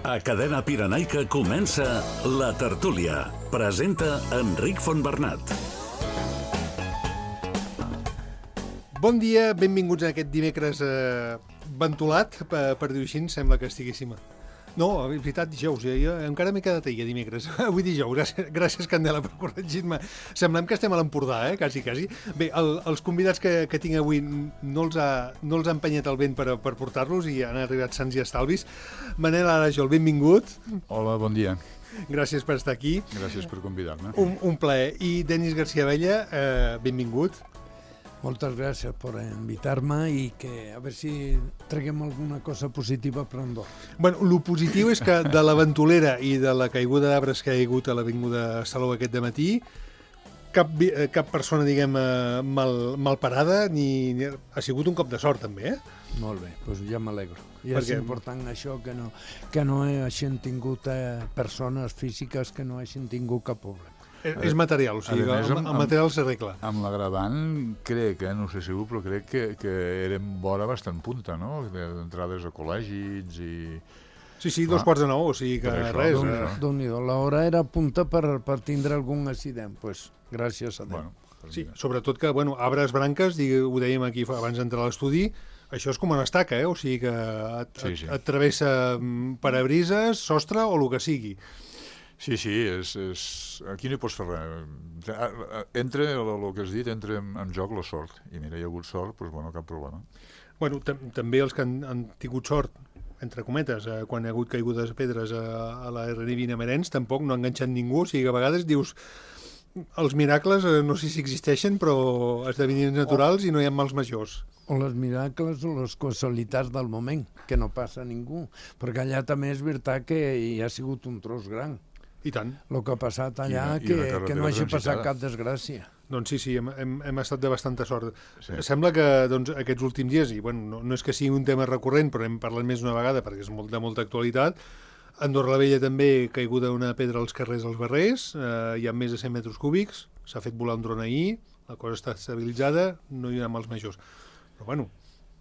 A Cadena Pirenaica comença La Tertúlia. Presenta Enric Fontbernat. Bon dia, benvinguts a aquest dimecres ventolat, per dir-ho així, sembla que estiguéssim... No, és veritat, dijous, jo encara m'he quedat ahir, dimecres. Avui dijous, gràcies Candela per corregir-me. Semblem que estem a l'Empordà, quasi. Bé, els convidats que tinc avui no els ha empenyat el vent per portar-los i han arribat sants i estalvis. Manel Arajol, benvingut. Hola, bon dia. Gràcies per estar aquí. Gràcies per convidar-me. Un plaer. I Denis García Abella, benvingut. Moltes gràcies per invitar-me i que a veure si traguem alguna cosa positiva per Andorra. Bueno, el positiu és que de la ventolera i de la caiguda d'arbres que hi ha hagut a l'avinguda Salou aquest dematí, cap persona, diguem, mal parada, ni ha sigut un cop de sort, també, Molt bé, doncs ja m'alegro. I és important això, que no hagin tingut persones físiques que no hagin tingut cap problema. És material, o sigui, el material s'arregla. Amb l'agravant, crec, no sé segur, però crec que érem vora bastant punta, no? D'entrades a col·legis i... Sí, 2:45, o sigui que res. Déu-n'hi-do, l'hora era punta per tindre algun accident, doncs gràcies a Déu. Sí, sobretot que, arbres, branques, ho dèiem aquí abans d'entrar a l'estudi, això és com una estaca, o sigui que et travessa parabrises, sostre o el que sigui. Sí, aquí no hi pots fer res. Entra, el que has dit, entra en joc la sort. I mira, hi ha hagut sort, doncs cap problema. També els que han tingut sort, entre cometes, quan hi ha hagut caigudes de pedres a la R20 a Merens, tampoc no ha enganxat ningú, o sigui que a vegades dius els miracles, no sé si existeixen, però esdeveniments naturals i no hi ha mals majors. O les miracles o les casualitats del moment, que no passa a ningú, perquè allà també és veritat que hi ha sigut un tros gran. I tant. El que ha passat allà, que no hagi passat cap desgràcia. Doncs sí, hem estat de bastanta sort. Sí. Sembla que aquests últims dies, i no és que sigui un tema recurrent, però hem parlat més d'una vegada perquè és de molta actualitat, a Andorra la Vella també caiguda una pedra als carrers dels Barrers, hi ha més de 100 metres cúbics, s'ha fet volar un dron ahir, la cosa està estabilitzada, no hi ha mals majors. Però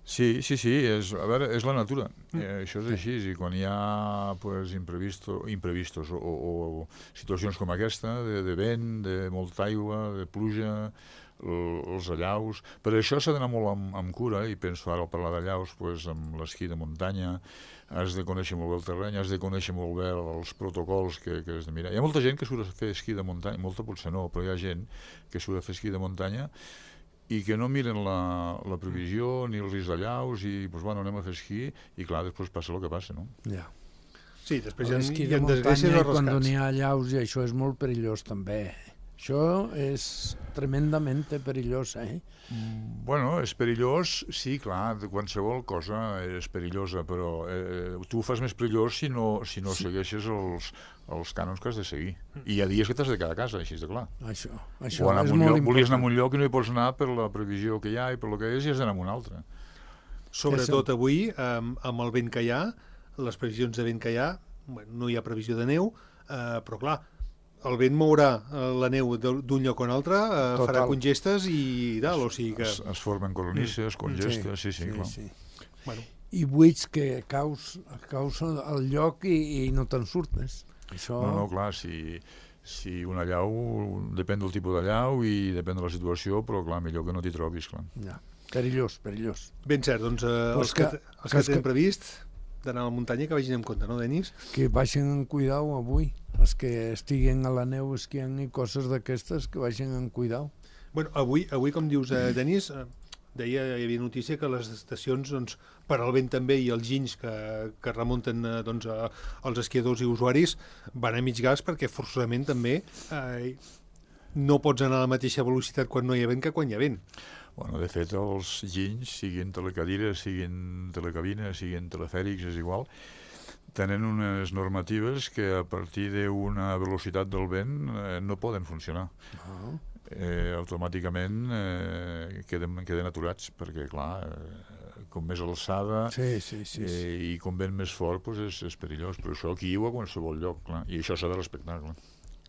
Sí, és la natura. Això és així, i quan hi ha imprevistos o situacions com aquesta, de vent, de molta aigua, de pluja, els allaus... Per això s'ha d'anar molt amb cura, i penso ara al parlar d'allaus, amb l'esquí de muntanya, has de conèixer molt bé el terreny, has de conèixer molt bé els protocols que has de mirar. Hi ha molta gent que surt a fer esquí de muntanya, molta potser no, però hi ha gent que surt a fer esquí de muntanya i que no miren la previsió ni el risc d'allaus i, anem a fer esquí i, clar, després passa el que passa, no? Ja. Sí, després hi ha desgràcies o rescats. Quan n'hi ha allaus, i això és molt perillós, també. Això és tremendament perillós, és perillós, sí, clar, qualsevol cosa és perillosa, però tu ho fas més perillós si no segueixes els cànons que has de seguir. I hi ha dies que t'has de quedar a casa, així de clar. Això és molt important. Volies anar a un lloc i no hi pots anar per la previsió que hi ha i per lo que és, i has d'anar a un altre. Sobretot avui, amb el vent que hi ha, les previsions de vent que hi ha, no hi ha previsió de neu, però clar, el vent mourà la neu d'un lloc a un altre, farà congestes i tal, o sigui que... Es formen coronisses, congestes, sí, clar. I buits que causen el lloc i no te'n surtes. No, clar, si un allau, depèn del tipus d'allau i depèn de la situació, però clar, millor que no t'hi trobis, clar. Ja. Perillós. Ben cert, doncs els que tenen previst d'anar a la muntanya que vagin amb compte, no, Denis? Que vagin amb cuidau avui. Els que estiguen a la neu esquiant i coses d'aquestes, que vagin amb cuidau. Avui, com dius, Denis, hi havia notícia que les estacions, per al vent també, i els ginys que remunten als esquiadors i usuaris, van a mig gas perquè forçosament també no pots anar a la mateixa velocitat quan no hi ha vent que quan hi ha vent. De fet, els ginys, siguin telecadires, siguin telecabines, siguin telefèrics, és igual, tenen unes normatives que a partir d'una velocitat del vent no poden funcionar. Automàticament queden aturats, perquè, clar, com més alçada i com vent més fort és perillós. Però això aquí o a qualsevol lloc, clar. I això s'ha de respectar, clar.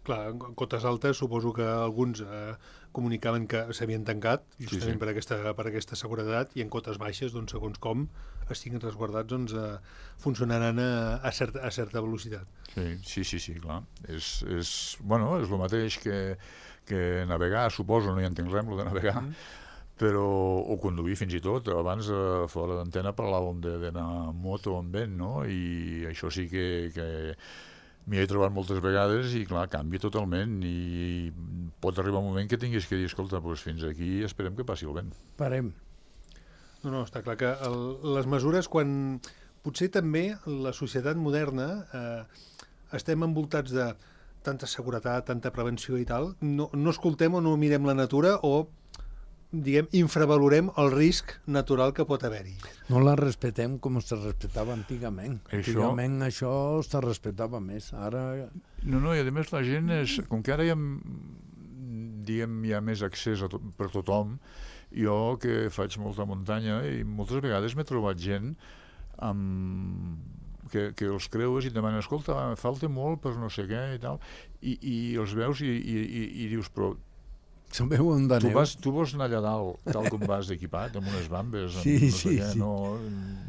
Clar, en cotes altes suposo que alguns comunicaven que s'havien tancat justament per aquesta seguretat, i en cotes baixes, doncs, segons com estiguin resguardats, doncs, funcionaran a certa velocitat. Sí, clar. És el mateix que navegar, suposo, no hi entenc res, el de navegar, però, o conduir fins i tot. Abans, fora d'antena, parlàvem d'anar en moto o en vent, no? I això sí que m'hi he trobat moltes vegades i, clar, canvia totalment i pot arribar un moment que tinguis que dir, escolta, doncs fins aquí esperem que passi el vent. Parem. No, està clar que les mesures, quan potser també la societat moderna estem envoltats de tanta seguretat, tanta prevenció i tal, no escoltem o no mirem la natura o, diguem, infravalorem el risc natural que pot haver-hi. No la respetem com es respectava antigament. Antigament això es respectava més. Ara... No, i a més la gent com que ara hi ha més accés per tothom, jo que faig molta muntanya i moltes vegades m'he trobat gent que els creues i et demanen, escolta, falta molt per no sé què i tal, i els veus i dius, però tu vols anar allà dalt tal com vas equipat, amb unes bambes, sí.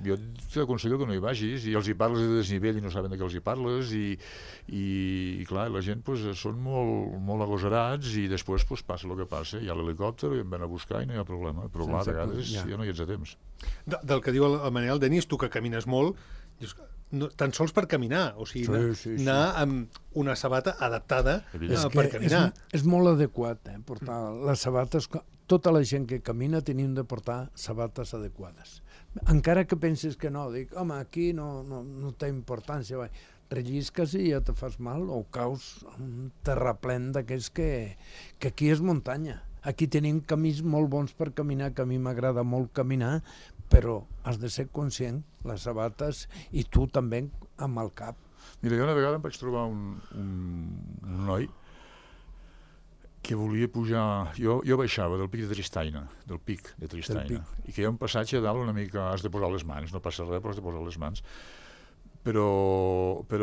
Jo t'aconsello que no hi vagis, i els hi parles de desnivell i no saben de què els hi parles, i clar, la gent són molt agosarats, i després passa el que passa, hi ha l'helicòpter i em ven a buscar i no hi ha problema, però clar, a vegades ja no hi ets a temps. Del que diu el Manel, Denis, tu que camines molt, dius, tan sols per caminar, o sigui, anar amb una sabata adaptada per caminar. És molt adequat portar les sabates. Tota la gent que camina tenim de portar sabates adequades. Encara que penses que no, dic, home, aquí no té importància, rellisques i ja te fas mal o caus un terraplén d'aquells que aquí és muntanya. Aquí tenim camins molt bons per caminar, que a mi m'agrada molt caminar, però has de ser conscient, les sabates, i tu també amb el cap. Mira, jo una vegada em vaig trobar un noi que volia pujar... Jo baixava del pic de Tristaina, i que hi ha un passatge a dalt una mica... Has de posar les mans, no passa res, però has de posar les mans. Però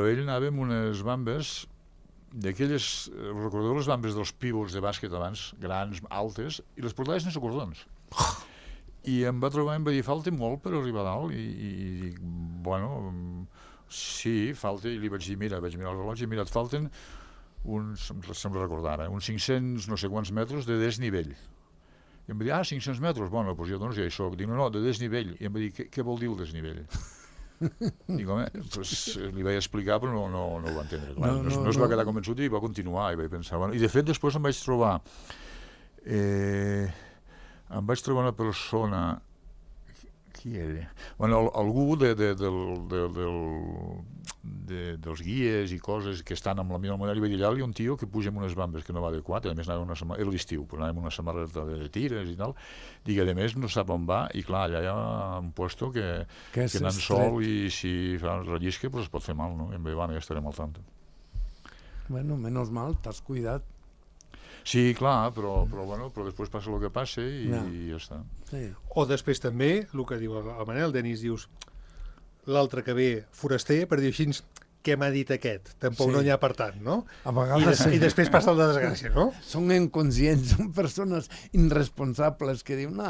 ell anava amb unes bambes d'aquelles... Recordeu les bambes dels pívols de bàsquet abans, grans, altes, i les portava sense cordons. I em va trobar i em va dir, falta molt per arribar a dalt, i dic, bueno, sí, falta, i li vaig dir, mira, vaig mirar el rellotge, mira, et falten uns, sembla recordar, uns 500 no sé quants metres de desnivell. I em va dir, 500 metres, bueno, doncs jo ja hi soc. Dic, no, de desnivell. I em va dir, què vol dir el desnivell? Dic, home, li vaig explicar, però no ho va entendre. No es va quedar convençut i va continuar, i vaig pensar, bueno, i de fet després em vaig trobar una persona, qui era? Bueno, algú dels guies i coses que estan amb la meva manera, i vaig dir, allà hi ha un tio que puja amb unes bambes que no va adequat, a més era l'estiu, però anava amb una samarreta de tires i tal, dic, a més no sap on va, i clar, allà hi ha un puesto que anant sol i si fa rellisca es pot fer mal, no? I em va dir, bueno, ja estarem al tanto. Bueno, menys mal, t'has cuidat. Sí, clar, però després passa el que passa i ja està. Sí. O després també, el que diu el Manel, Denis, dius, l'altre que ve foraster, per dir així, què m'ha dit aquest? Tampoc no n'hi ha per tant, no? A vegades I després passa el de desgràcia, no? Són inconscients, són persones irresponsables que diuen,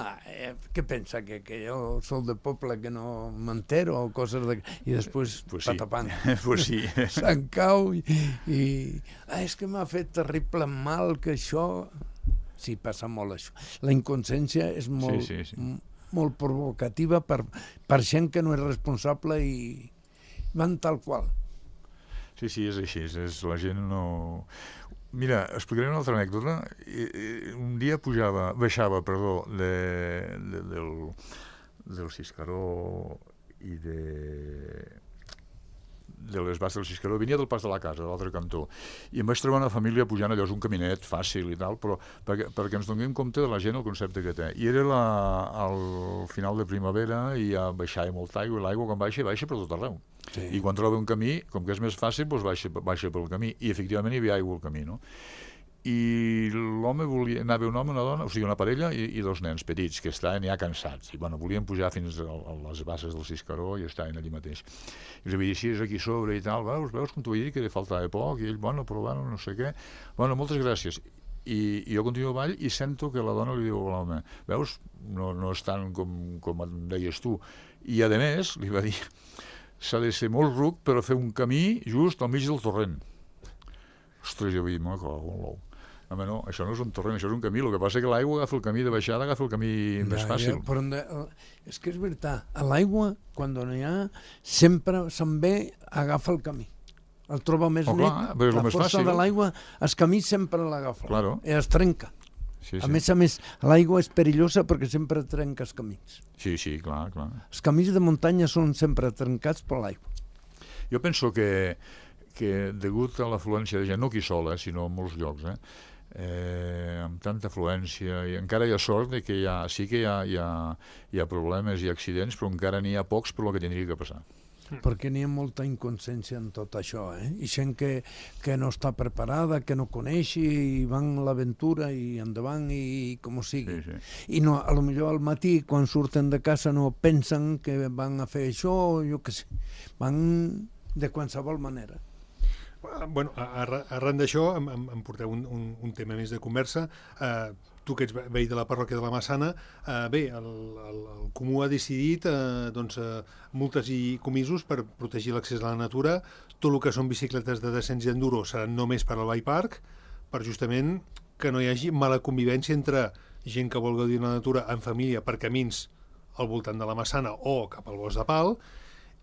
què pensa, que jo soc de poble que no m'entero o coses de... I després patapant. Pues sí. Se'n cau i és que m'ha fet terrible mal que això... Sí, passa molt això. La inconsciència és molt, molt provocativa per gent que no és responsable i van tal qual. Sí, és així, la gent no... Mira, explicaré una altra anècdota. Un dia baixava del Xiscaró i de les Basses del Xiscaró, venia del Pas de la Casa, de l'altre cantó, i em vaig trobar una família pujant allò, és un caminet fàcil i tal, però perquè ens donem compte de la gent el concepte que té. I era al final de primavera i ja baixava molta aigua, i l'aigua quan baixa per tot arreu. Sí. I quan troba un camí, com que és més fàcil, doncs baixa pel camí, i efectivament hi havia aigua al camí, no? I l'home anava un home, una dona, o sigui, una parella i dos nens petits que estaven ja cansats i bueno, volien pujar fins a les bases del Ciscaró i estaven allí mateix. I els havia dit, sí, és aquí sobre i tal, veus com t'ho vaig dir, que li faltava poc, i ell, bueno, provant, no sé què, bueno, moltes gràcies. I jo continuo avall i sento que la dona li diu a l'home, veus, no és tant com em deies tu. I a més, li va dir, s'ha de ser molt ruc per fer un camí just al mig del torrent. Ostres, jo vaig dir, me cago en l'ou. Home, no, això no és un torrent, això és un camí. El que passa és que l'aigua agafa el camí de baixada, agafa el camí més fàcil. Però és que és veritat, a l'aigua, quan n'hi ha, sempre se'n ve, agafa el camí. El troba més net, clar, la força de l'aigua, el camí sempre l'agafa, claro. I es trenca. Sí, a més, l'aigua és perillosa perquè sempre trenca els camins. Sí, clar. Els camins de muntanya són sempre trencats per l'aigua. Jo penso que degut a l'afluència de gent, no aquí sol, sinó en molts llocs, amb tanta afluència, i encara hi ha sort de que sí que hi ha problemes i accidents, però encara n'hi ha pocs per lo que tindria que passar. Perquè n'hi ha molta inconsciència en tot això, i gent que no està preparada, que no coneix i van a l'aventura i endavant i com sigui. Sí. I no, a lo millor al matí quan surten de casa no pensen que van a fer això, jo què sé, van de qualsevol manera. Bueno, arran d'això em porteu un tema més de conversa. Tu que ets veí de la parròquia de la Massana, bé, el Comú ha decidit multes i comisos per protegir l'accés a la natura. Tot el que són bicicletes de descens i enduro seran només per al bike park, per justament que no hi hagi mala convivència entre gent que vol gaudir de la natura en família per camins al voltant de la Massana o cap al Bosc de Pal,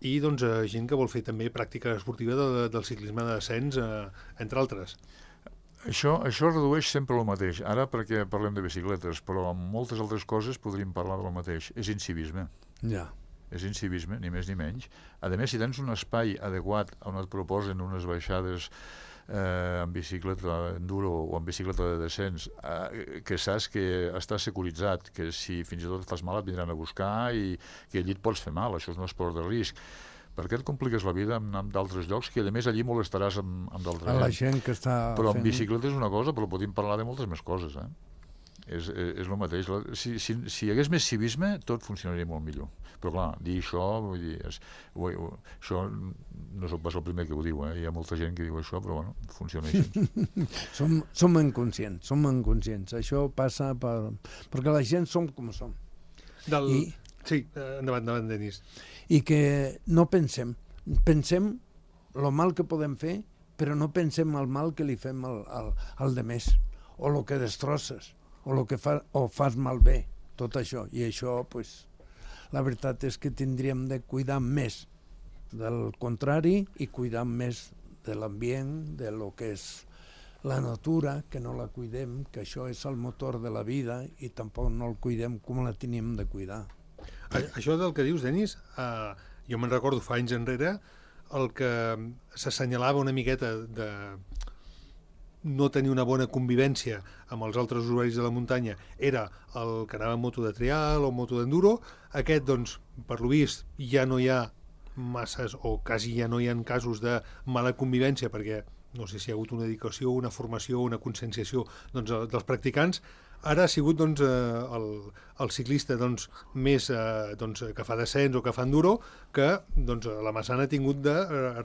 i gent que vol fer també pràctica esportiva del ciclisme de descens, entre altres. Això redueix sempre el mateix. Ara perquè parlem de bicicletes, però amb moltes altres coses podríem parlar del mateix. És incivisme. Ja. És incivisme, ni més ni menys. A més, si tens un espai adequat on et proposen unes baixades amb bicicleta enduro o amb bicicleta de descens, que saps que està securitzat, que si fins i tot et fas mal et vindran a buscar i que allí et pots fer mal, això és un esport de risc. Per què et compliques la vida en d'altres llocs que a més allí molestaràs amb d'altra gent? A la gent que està però amb bicicleta és una cosa, però podem parlar de moltes més coses, És el mateix. Si hi hagués més civisme, tot funcionaria molt millor. Però clar, dir això, vull dir, això no soc pas el primer que ho diu, hi ha molta gent que diu això, però bueno, funciona així. Som inconscients. Això passa perquè la gent som com som. Sí, endavant, Denis. I que no pensem el mal que podem fer, però no pensem el mal que li fem al de més, o el que destrosses, o el que fas malbé, tot això. I això, la veritat és que tindríem de cuidar més del contrari i cuidar més de l'ambient, de lo que és la natura, que no la cuidem, que això és el motor de la vida i tampoc no el cuidem com la teníem de cuidar. Això del que dius, Denis, jo me'n recordo fa anys enrere, el que s'assenyalava una miqueta de no tenir una bona convivència amb els altres usuaris de la muntanya era el que anava en moto de trial o moto d'enduro. Aquest, per lo vist, ja no hi ha masses o quasi ja no hi ha casos de mala convivència perquè no sé si hi ha hagut una dedicació, una formació, una conscienciació dels practicants. Ara ha sigut el ciclista més que fa descens o que fa enduro que la Massana ha tingut de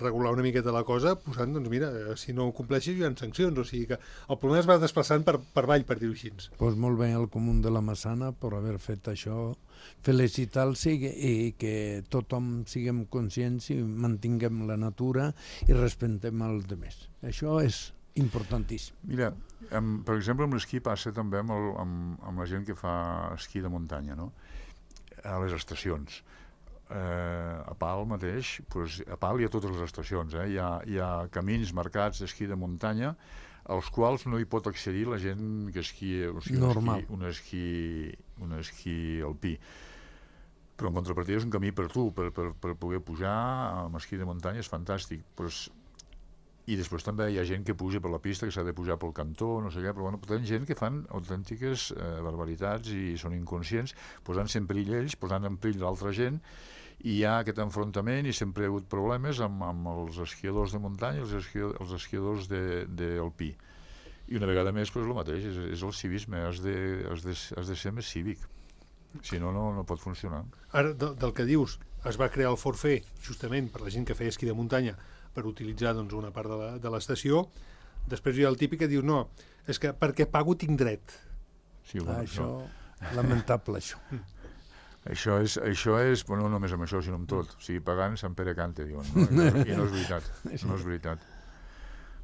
regular una miqueta la cosa posant, mira, si no ho compleixis hi ha sancions, o sigui que el problema es va desplaçant per avall, per dir-ho així. Molt bé el Comú de la Massana per haver fet això, felicitar-los i que tothom siguem conscients i mantinguem la natura i respectem els altres. Això és importantíssim. Mira, per exemple, amb l'esquí passa també amb la gent que fa esquí de muntanya, no? A les estacions. A Pal mateix, a Pal hi ha totes les estacions, hi ha camins marcats d'esquí de muntanya als quals no hi pot accedir la gent que esquia, o sigui, un esquí alpí. Però en contrapartida és un camí per tu, per poder pujar amb esquí de muntanya, és fantàstic. I després també hi ha gent que puja per la pista, que s'ha de pujar pel cantó, no sé què, però hi ha gent que fan autèntiques barbaritats i són inconscients, posant-se en perill ells, posant en perill l'altra gent, i hi ha aquest enfrontament i sempre hi ha hagut problemes amb els esquiadors de muntanya i els esquiadors d'alpí. I una vegada més, el mateix, és el civisme, has de ser més cívic. Si no, no pot funcionar. Ara, del que dius, es va crear el forfait justament per la gent que feia esquí de muntanya per utilitzar doncs, una part de l'estació. Després hi ha el típic que diu no, és que perquè pago tinc dret. Sí, bueno, això, lamentable, això. Això és, bueno, no només amb això, sinó amb tot. O sigui, pagant Sant Pere cante, diuen. No? I no és veritat. No és veritat.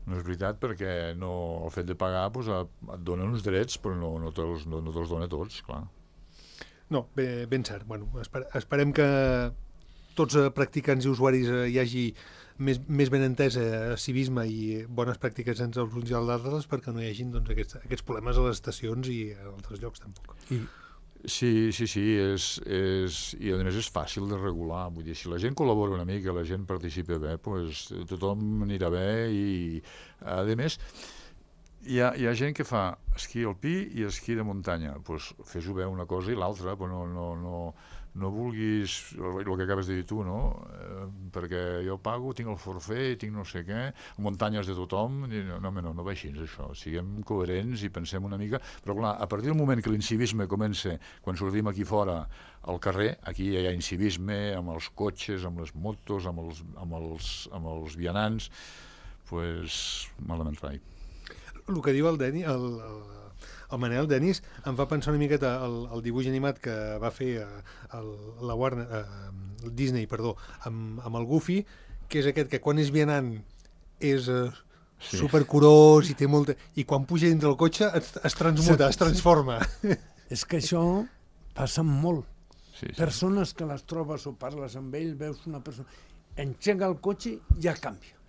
No és veritat perquè el fet de pagar doncs, et dona uns drets, però no te'ls dona tots, clar. No, ben cert. Bueno, esperem que tots practicants i usuaris hi hagi més ben entès civisme i bones pràctiques entre els uns i els altres perquè no hi hagi doncs, aquests problemes a les estacions i a altres llocs tampoc. Sí, i a més és fàcil de regular, vull dir, si la gent col·labora una mica, la gent participa bé, doncs tothom anirà bé i a més hi ha gent que fa esquí alpí i esquí de muntanya, doncs fes-ho bé una cosa i l'altra, però no vulguis el que acabes de dir tu, no? Perquè jo pago, tinc el forfait, tinc no sé què, muntanyes de tothom, no va així, això. Siguem coherents i pensem una mica, però clar, a partir del moment que l'incivisme comença, quan sortim aquí fora al carrer, aquí hi ha incivisme amb els cotxes, amb les motos, amb els vianants, doncs malament rai. El que diu el Denis, el Manel Denis, em fa pensar una miqueta el dibuix animat que va fer la Warner, el Disney, perdó, amb el Goofy, que és aquest que quan és vianant és supercurós i té molta... I quan puja dintre el cotxe es transmuta, es transforma. És que això passa molt. Sí. Persones que les trobes o parles amb ell, veus una persona... Engega el cotxe i ja canvia.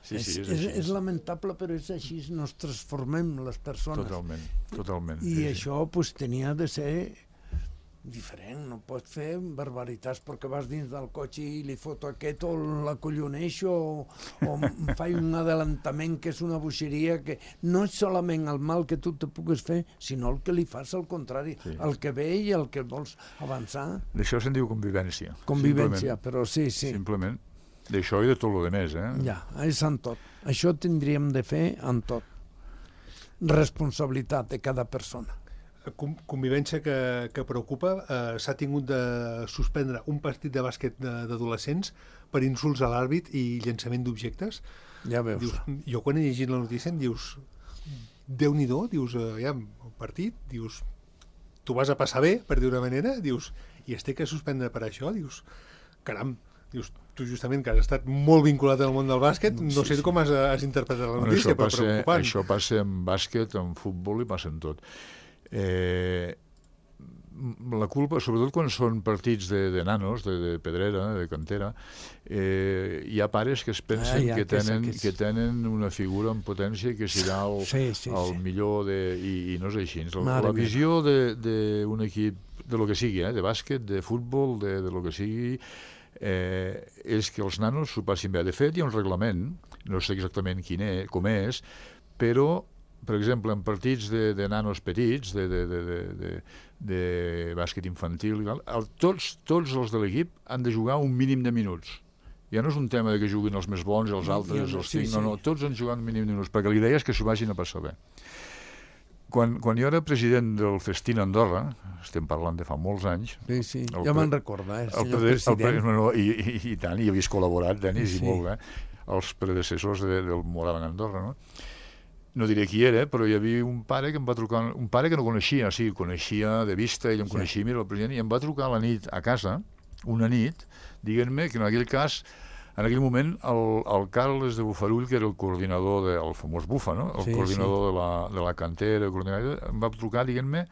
És lamentable, però és així, nos transformem les persones. Totalment. I això pues, tenia de ser diferent, no pots fer barbaritats perquè vas dins del cotxe i li foto aquest o l'acolloneixo o faig un adelantament que és una bogeria que no és solament el mal que tu te pugues fer, sinó el que li fas al contrari, el que ve i el que vols avançar. D'això se'n diu convivència. Convivència, però sí. Simplement. D'això i de tot el demés, Ja, és en tot. Això tindríem de fer en tot. Responsabilitat de cada persona. Convivència que preocupa. S'ha tingut de suspendre un partit de bàsquet d'adolescents per insults a l'àrbit i llançament d'objectes. Ja veus. Dius, jo quan he llegit la notícia em dius, Déu-n'hi-do, dius, el partit, dius, tu vas a passar bé, per dir una manera, dius, i es té que suspendre per això, dius, caram, dius, tu justament que has estat molt vinculat al món del bàsquet, no sé com has interpretat la notícia, però preocupant. Això passa en bàsquet, en futbol i passa en tot. La culpa, sobretot quan són partits de nanos, de pedrera, de cantera, hi ha pares que es pensen que tenen una figura en potència que serà el millor i no és així. La visió d'un equip de lo que sigui, de bàsquet, de futbol, de lo que sigui, és que els nanos s'ho passin bé. De fet, hi ha un reglament, no sé exactament com és, però per exemple, en partits de nanos petits, de bàsquet infantil, tots els de l'equip han de jugar un mínim de minuts. Ja no és un tema que juguin els més bons i els altres, tots han jugat un mínim de minuts, perquè l'idea és que s'ho vagin a passar bé. Quan jo era president del Festín Andorra, estem parlant de fa molts anys... Sí, ja me'n recorda, senyor president. I tant, hi havies col·laborat, Denis, i molt bé, els predecessors del Moraban Andorra, no? No diré qui era, però hi havia un pare que em va trucar, un pare que no coneixia, coneixia de vista, ell em coneixia, mira, el president, i em va trucar a la nit a casa, una nit, dient-me que en aquell cas, en aquell moment, el Carles de Bufarull, que era el coordinador del famós Bufa, no? El coordinador de la cantera, em va trucar dient-me,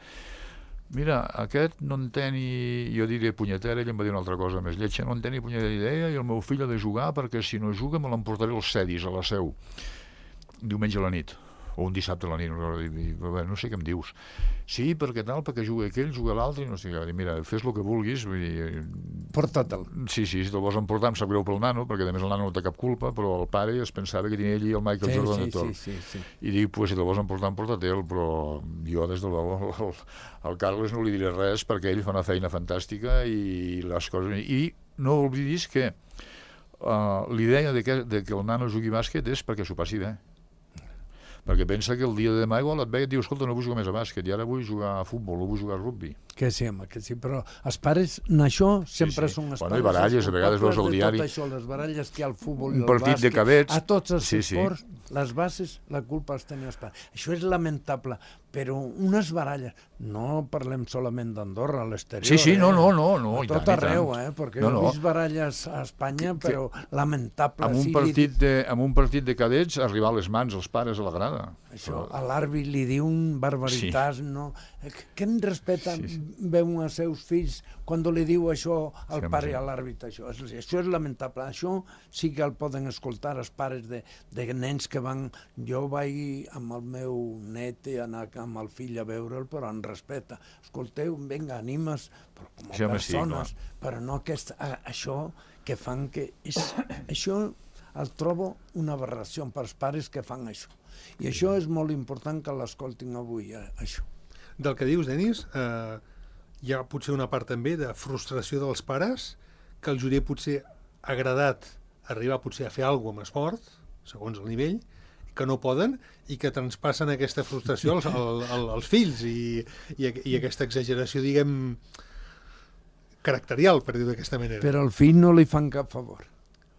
mira, aquest no en té ni, jo diré punyetera, ell em va dir una altra cosa més lletja, no en té ni punyetera idea, i el meu fill ha de jugar perquè si no juga me l'emportaré als Cedis, a la Seu, diumenge a la nit, o un dissabte a la nit, no sé què em dius. Sí, perquè juga aquell, juga l'altre, i no sé què. Mira, fes el que vulguis. Porta-te'l. Sí, si te'l vols emportar, em sap greu pel nano, perquè a més el nano no té cap culpa, però el pare es pensava que tenia ell i el Michael Jordan de tot. I dic, pues, si te'l vols emportar, emporta-te'l, però jo, des de l'home, al Carles no li diré res, perquè ell fa una feina fantàstica i les coses... I no oblidis que l'idea de que el nano jugui bàsquet és perquè s'ho passi bé. perquè pensa que el dia de demà igual et ve i et diu, escolta, no vull jugar més a bàsquet, i ara vull jugar a futbol, o vull jugar a rugby. Que sí, home, que sí, però els pares, en això sempre són els pares. I baralles, a vegades veus al diari. Tot això, les baralles que hi ha al futbol i Un al partit bàsquet, de cadets. a tots els esports, les bases, la culpa els tenen els pares. Això és lamentable, però unes baralles, no parlem solament d'Andorra, a l'exterior. Sí, no, a tot arreu, perquè he vist baralles a Espanya, però lamentable. Amb un partit de cadets, arribar a les mans els pares a la grada. Això, a l'àrbit li diuen barbaritats, no? Quin respecte veuen als seus fills quan li diu això al pare i a l'àrbit? Això és lamentable. Això sí que el poden escoltar els pares de nens que van... Jo vaig amb el meu net i anar amb el fill a veure'l, però en respecte. Escolteu, vinga, animes, però com a persones, però no això que fan que... Això el trobo una aberració per als pares que fan això. I això és molt important que l'escoltin avui, això. Del que dius, Denis, hi ha potser una part també de frustració dels pares, que els hauria potser agradat arribar potser a fer alguna cosa amb esport, segons el nivell, que no poden i que traspassen aquesta frustració als fills i aquesta exageració, diguem, caracterial, per dir-ho d'aquesta manera. Però al fill no li fan cap favor.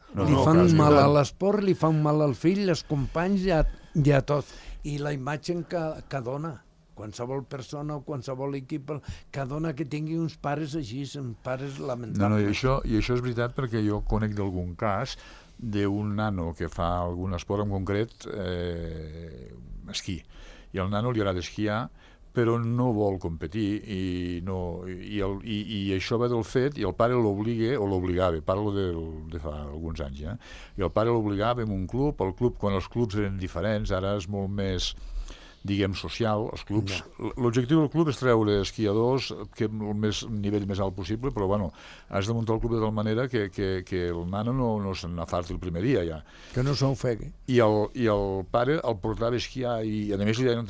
Li fan mal a l'esport, li fan mal al fill, als companys i a tot. I la imatge que dona qualsevol persona o qualsevol equip que dona que tingui uns pares així, uns pares lamentables. I això és veritat perquè jo conec d'algun cas d'un nano que fa algun esport en concret, esquí, i al nano li agrada esquiar, però no vol competir i això ve del fet, i el pare l'obliga, o l'obligava, parlo de fa alguns anys, i el pare l'obligava en un club, quan els clubs eren diferents, ara és molt més, diguem, social, els clubs. L'objectiu del club és treure esquiadors que el nivell més alt possible, però bueno, has de muntar el club de tal manera que el nano no se n'afarti el primer dia ja. Que no s'ofegui. I el pare el portava a esquiar i a més li deien,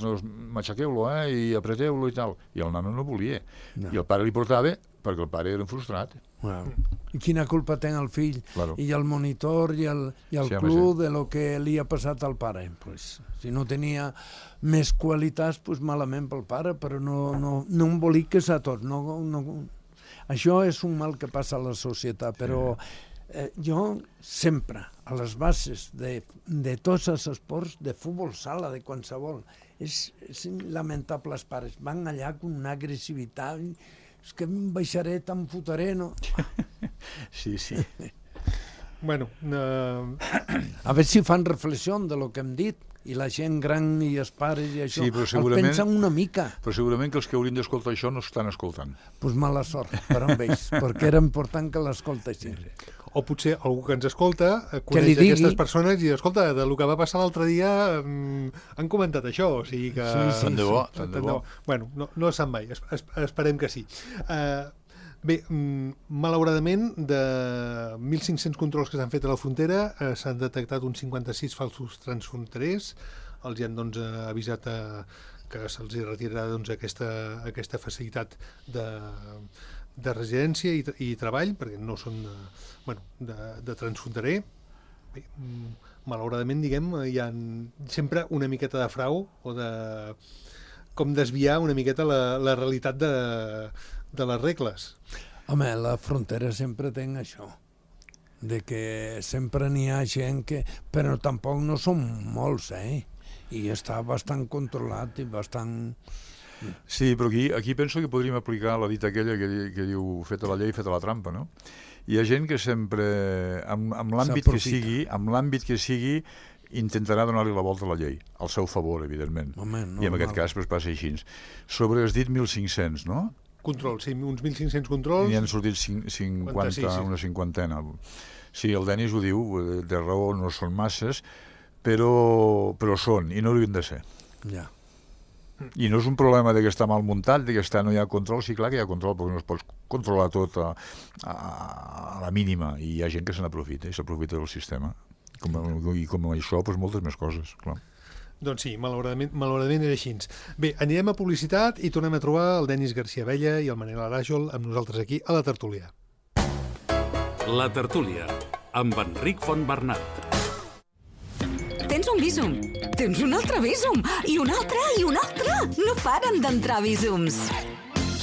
matxaqueu-lo, i apreteu-lo i tal. I el nano no volia. I el pare li portava perquè el pare era frustrat. I quina culpa té el fill i el monitor i el club de lo que li ha passat al pare? Si no tenia més qualitats, malament pel pare, però no emboliques a tots. Això és un mal que passa a la societat, però jo sempre, a les bases de tots els esports, de futbol sala, de qualsevol, és lamentable els pares. Van allà amb una agressivitat, és que em baixaré, te'n fotré, no? Sí. Bueno, a veure si fan reflexió de lo que hem dit, i la gent gran i els pares i això, el pensen una mica. Però segurament que els que haurien d'escoltar això no estan escoltant. Doncs mala sort per amb ells, perquè era important que l'escoltessin. O potser algú que ens escolta coneix aquestes persones i, escolta, del que va passar l'altre dia han comentat això, o sigui que... Tant de bo. Bueno, no se'n vai, esperem que sí. Bé, malauradament, de 1.500 controls que s'han fet a la frontera, s'han detectat uns 56 falsos transfronterers. Els han avisat que se'ls retirarà aquesta facilitat de residència i treball, perquè no són de transfronterer. Bé, malauradament, diguem, hi ha sempre una miqueta de frau o de com desviar una miqueta la realitat de les regles. Home, la frontera sempre té això, de que sempre n'hi ha gent que... Però tampoc no són molts, i està bastant controlat i bastant... Sí, però aquí penso que podríem aplicar la dita aquella que diu feta la llei, feta la trampa, no? Hi ha gent que sempre, amb l'àmbit que sigui, intentarà donar-li la volta a la llei, al seu favor, evidentment. I en aquest cas passa així. Sobre has dit 1.500, no? Controls, sí, uns 1.500 controls. I han sortit 50, una cinquantena. Sí, el Denis ho diu, de raó no són masses, però són, i no haurien de ser. Ja. I no és un problema de que està mal muntat, de que no hi ha control. Sí, clar que hi ha control, perquè no es pot controlar tot a la mínima, i hi ha gent que se n'aprofita, i s'aprofita del sistema. I com això, moltes més coses, clar. Doncs sí, malauradament era així. Bé, anirem a publicitat i tornem a trobar el Denis García Abella i el Manel Aràjol amb nosaltres aquí a la tertúlia. La tertúlia, amb Enric Fontbernat. Tens un un Bizum. Tens un altre Bizum. I un altre, i un altre. No paren d'entrar Bizums.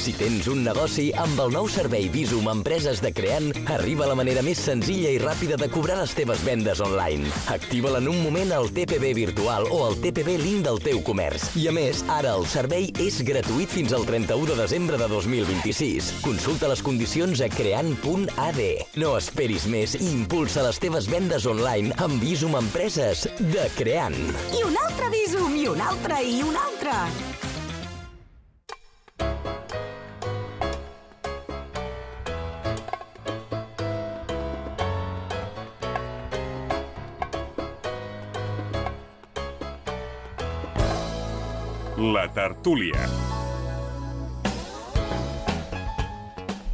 Si tens un negoci, amb el nou servei Bizum Empreses de Creant, arriba la manera més senzilla i ràpida de cobrar les teves vendes online. Activa-la en un moment al TPB virtual o al TPB Link del teu comerç. I a més, ara el servei és gratuït fins al 31 de desembre de 2026. Consulta les condicions a creant.ad. No esperis més i impulsa les teves vendes online amb Bizum Empreses de Creant. I un altre Bizum, i un altre, i un altre. La tertúlia.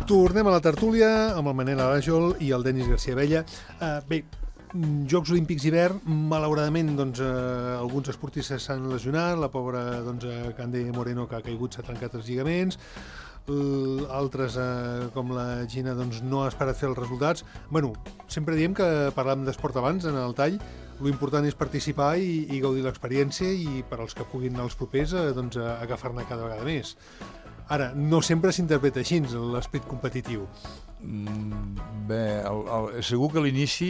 Tornem a la tertúlia amb el Manel Aràjol i el Denis García Abella. Bé, Jocs Olímpics d'hivern, malauradament alguns esportistes s'han lesionat, la pobra Cande Moreno que ha caigut s'ha trencat els lligaments, altres com la Gina no ha esperat fer els resultats. Bueno, sempre diem que parlàvem d'esport abans en el tall, lo important és participar i gaudir l'experiència i per als que puguin anar als propers agafar-ne cada vegada més. Ara, no sempre s'interpreta així l'esperit competitiu. Bé, segur que a l'inici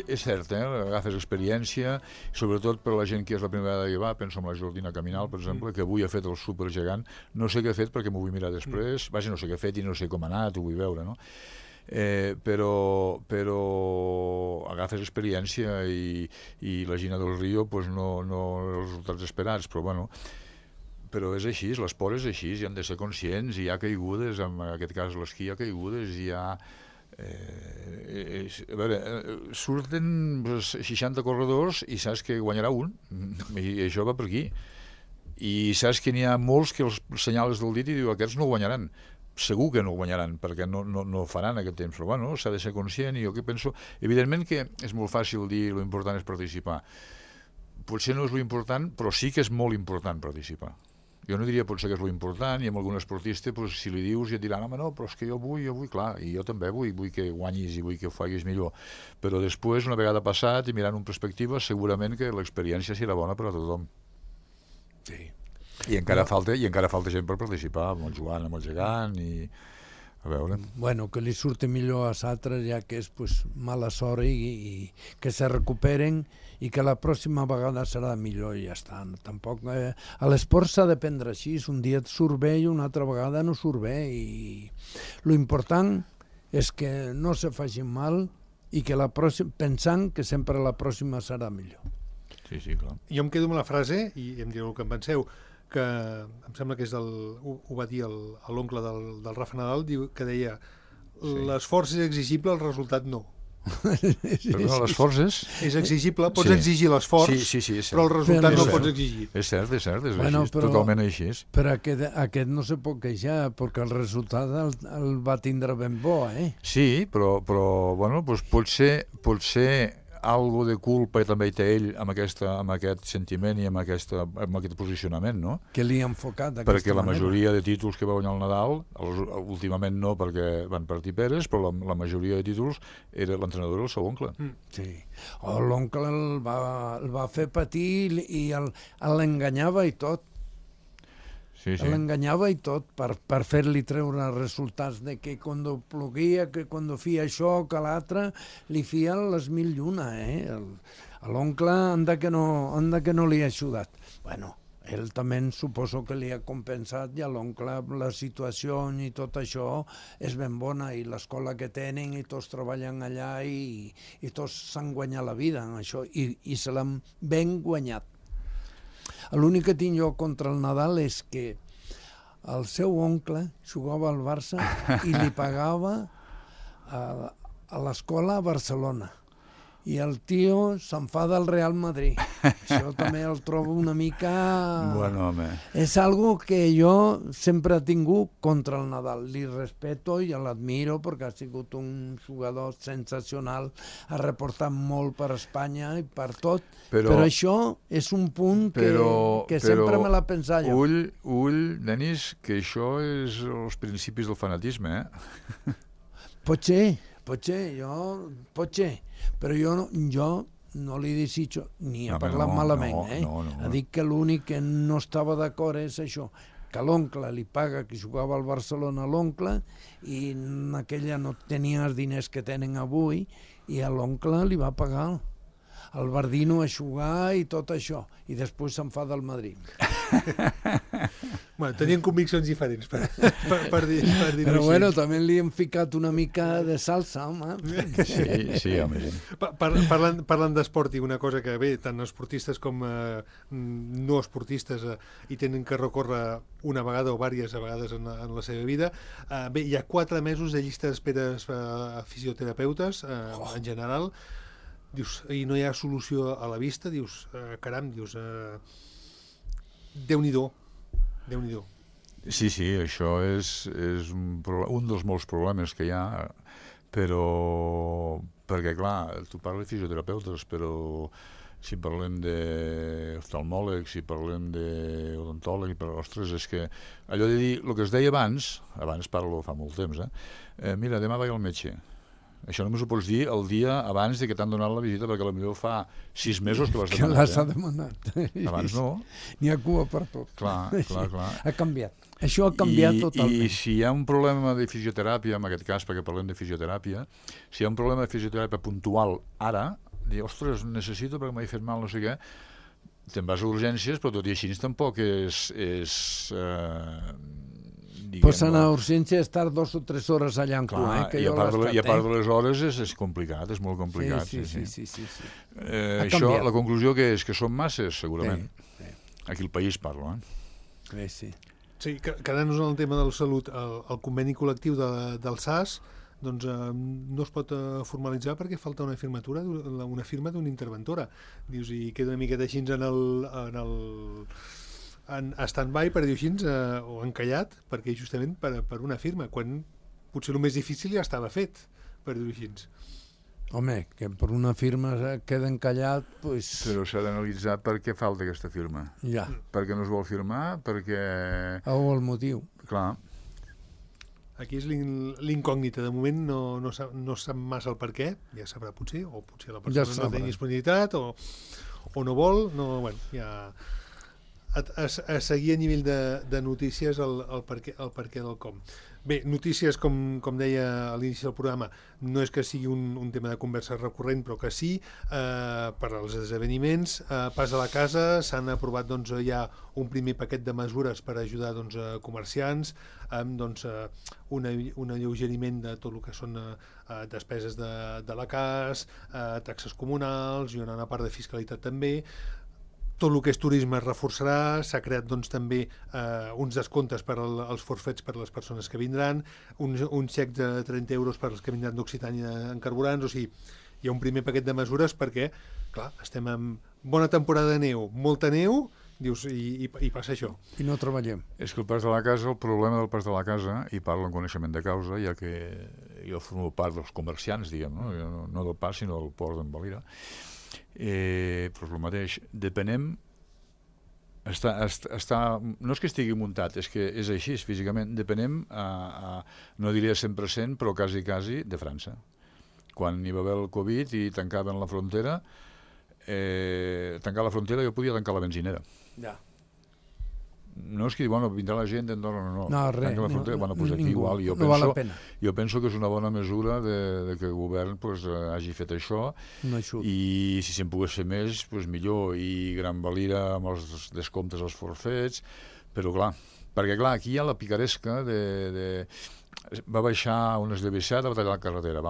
és cert, agafes experiència, sobretot per la gent que és la primera vegada que va, penso en la Jordina Caminal, per exemple, que avui ha fet el supergegant, no sé què ha fet perquè m'ho vull mirar després, vaja, no sé què ha fet i no sé com ha anat, ho vull veure, no? Però agafes experiència i la Gina del Rio no els resultats esperats, però bueno, però és així, l'esport és així, i han de ser conscients, hi ha caigudes, en aquest cas l'esquí hi ha caigudes, hi ha... a veure, surten 60 corredors i saps que guanyarà un, i això va per aquí, i saps que n'hi ha molts que els senyals del dit i diu aquests no guanyaran, segur que no guanyaran perquè no faran aquest temps, però bueno, s'ha de ser conscient i jo que penso, evidentment que és molt fàcil dir lo important és participar, potser no és lo important però sí que és molt important participar. Jo no diria potser que és lo important i amb algun esportista si li dius ja et diran home no, però és que jo vull, clar, i jo també vull que guanyis i vull que ho facis millor, però després una vegada passat i mirant en perspectiva segurament que l'experiència serà bona per a tothom. Sí. I encara falta gent per participar, amb el Joan, amb el Gegant i a veure. Bueno, que li surti millor a l'altre ja que és mala sort i que se recuperen i que la pròxima vegada serà millor i ja està. Tampoc, a l'esport s'ha de prendre així, un dia et surt bé i una altra vegada no surt bé i l'important és que no se facin mal i que pensant que sempre la pròxima serà millor. Sí, clar. Jo em quedo amb la frase, i em direu el que en penseu, que em sembla que és ho va dir l'oncle del Rafa Nadal, que deia l'esforç és exigible, el resultat no. Perdona, l'esforç és? És exigible, pots exigir l'esforç, però el resultat no el pots exigir. És cert, és així, totalment així. Però aquest no se pot queixar, perquè el resultat el va tindre ben bo, Sí, però bueno, potser algo de culpa també té ell amb aquest sentiment i amb aquest posicionament, no? Que li ha enfocat d'aquesta manera. Perquè la majoria de títols que va guanyar el Nadal, últimament no perquè van partir peres, però la majoria de títols era l'entrenador del seu oncle. Sí. L'oncle el va fer patir i l'enganyava i tot. Sí. L'enganyava i tot per fer-li treure resultats de que quan ploguia, que quan feia això, que l'altre, li feia les mil i una, A l'oncle anda que no li ha ajudat. Bueno, ell també suposo que li ha compensat i a l'oncle la situació i tot això és ben bona i l'escola que tenen i tots treballen allà i tots s'han guanyat la vida en això i se l'han ben guanyat. L'únic que tinc jo contra el Nadal és que el seu oncle jugava al Barça i li pagava a l'escola a Barcelona. I el tio s'enfada al Real Madrid. Això també el trobo una mica... Bueno, home. És algo que jo sempre he tingut contra el Nadal. Li respeto i l'admiro perquè ha sigut un jugador sensacional, ha reportat molt per Espanya i per tot, però això és un punt que sempre me l'ha pensat jo. Ull, Denis, que això és els principis del fanatisme, Potser, però jo no li desitjo ni a No, parlar no, malament, no. Ha dit que l'únic que no estava d'acord és això, que l'oncle li paga que jugava al Barcelona a l'oncle i en aquella no tenia els diners que tenen avui i a l'oncle li va pagar el Bardino a jugar i tot això, i després se'n fa del Madrid. Bueno, tenien conviccions diferents, per dir-ho Però així. bueno, també li hem ficat una mica de salsa, home. Sí, home, sí. Parlant d'esport, i una cosa que bé, tant esportistes com no esportistes hi tenen que recórrer una vegada o diverses vegades en la seva vida. Bé, hi ha 4 mesos de llista d'espera a fisioterapeutes, en general. Dius, i no hi ha solució a la vista, dius, caram, dius, Déu-n'hi-do. Sí, això és un dels molts problemes que hi ha, però perquè, clar, tu parles de fisioterapeutes, però si parlem d'oftalmòlegs, si parlem d'odontòleg, ostres, és que allò de dir, el que es deia abans parlo fa molt temps, mira, demà vaig al metge. Això només ho pots dir el dia abans de que t'han donat la visita, perquè potser fa 6 mesos que l'has demanat. Que l'has demanat. Abans no. N'hi ha cua per tot. Clar. Ha canviat. Això ha canviat totalment. I si hi ha un problema de fisioteràpia, en aquest cas, perquè parlem de fisioteràpia, si hi ha un problema de fisioteràpia puntual ara, dir, ostres, necessito perquè m'he fet mal, no sé què, te'n vas a urgències, però tot i així tampoc és Pots anar a urgència i estar 2 o 3 hores allà en cua, que i a part de les hores és complicat, és molt complicat. Sí. Això, la conclusió que és que són masses, segurament. Aquí al país parlo, Sí. Sí, quedant-nos en el tema de la salut, el conveni col·lectiu del SAS doncs no es pot formalitzar perquè falta una firmatura, una firma d'una interventora. Dius, i queda una miqueta així en stand-by, per dir-ho així, o encallat, perquè justament per una firma, quan potser el més difícil ja estava fet, per dir-ho així. Home, que per una firma queda encallat, doncs... Però s'ha d'analitzar per què falta aquesta firma. Ja. Per què no es vol firmar, perquè... O el motiu. Clar. Aquí és l'incògnita. De moment no sap massa el per què, ja sabrà potser, o potser la persona no té disponibilitat, o no vol, bueno, ja... A seguir a nivell de notícies el per què del com. Bé, notícies, com deia a l'inici del programa, no és que sigui un tema de conversa recurrent, però que sí, per als esdeveniments. Pas a la casa, s'han aprovat ja un primer paquet de mesures per ajudar comerciants, amb un alleugeriment de tot el que són despeses de la CAS, taxes comunals i una part de fiscalitat també. Tot el que és turisme es reforçarà, s'ha creat també uns descomptes per als forfets per a les persones que vindran, un xec de 30 euros per als que vindran d'Occitània en carburants, o sigui, hi ha un primer paquet de mesures perquè, clar, estem en bona temporada de neu, molta neu, dius, i passa això. I no treballem. És que el pas de la casa, el problema del pas de la casa, i parlo en coneixement de causa, ja que jo formo part dels comerciants, diguem, no del pas, sinó del port d'en Valira, però és el mateix, depenem, no és que estigui muntat, és que és així, físicament, depenem, no diria 100%, però quasi, de França. Quan hi va haver el Covid i tancaven la frontera, tancar la frontera jo podia tancar la benzinera. Ja. No és que vindrà la gent d'Andorra, no. No, res. Tanca la frontera, doncs aquí igual. No val la pena. Jo penso que és una bona mesura de que el govern hagi fet això, i si se'n pogués fer més, millor, i Gran Valira amb els descomptes als forfets, però perquè aquí hi ha la picaresca va baixar un esllavissat, va tallar la carretera,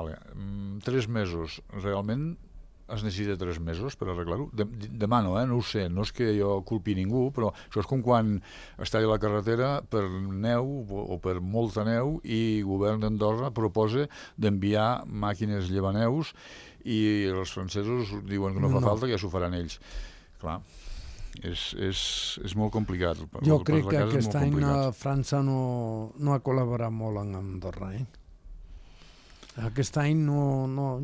3 mesos, realment es necessita 3 mesos per arreglar-ho? Demà no ho sé, no és que jo culpi ningú, però això és com quan es talla la carretera per neu o per molta neu i el govern d'Andorra proposa d'enviar màquines llevaneus i els francesos diuen que no fa falta, que ja s'ho faran ells. Clar, és molt complicat. Jo crec que aquest any França no ha col·laborat molt amb Andorra, Aquest any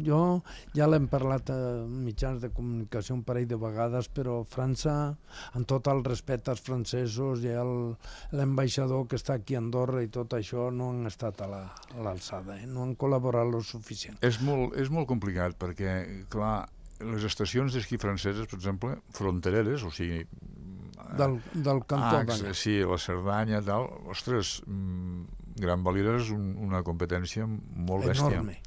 jo ja l'hem parlat a mitjans de comunicació un parell de vegades, però França, amb tot el respecte als francesos i l'ambaixador que està aquí a Andorra i tot això, no han estat a l'alçada, no han col·laborat lo suficient. És molt complicat perquè, clar, les estacions d'esquí franceses, per exemple, frontereres, o sigui... Del cantó d'allà. Sí, la Cerdanya, tal... Ostres, Gran Valira és una competència molt bèstia. Enorme.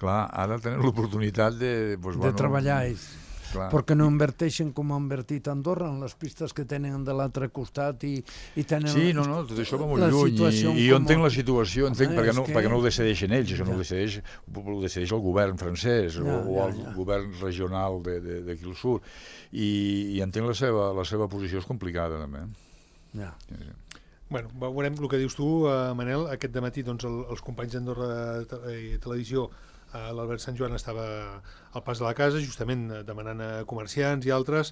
Clar, ara tenen l'oportunitat de... Pues, De treballar ells. Clar. Perquè no inverteixen com ha invertit Andorra en les pistes que tenen de l'altre costat i tenen... Sí, no, tot això va molt lluny i jo entenc la situació, entenc perquè no ho decideixen ells, això no ho decideix el govern francès o el govern regional d'aquí al sud i entenc la seva posició és complicada també. Ja. Bueno, veurem el que dius tu, Manel. Aquest dematí doncs, els companys d'Andorra Televisió, l'Albert Sant Joan estava al pas de la casa, justament demanant a comerciants i altres.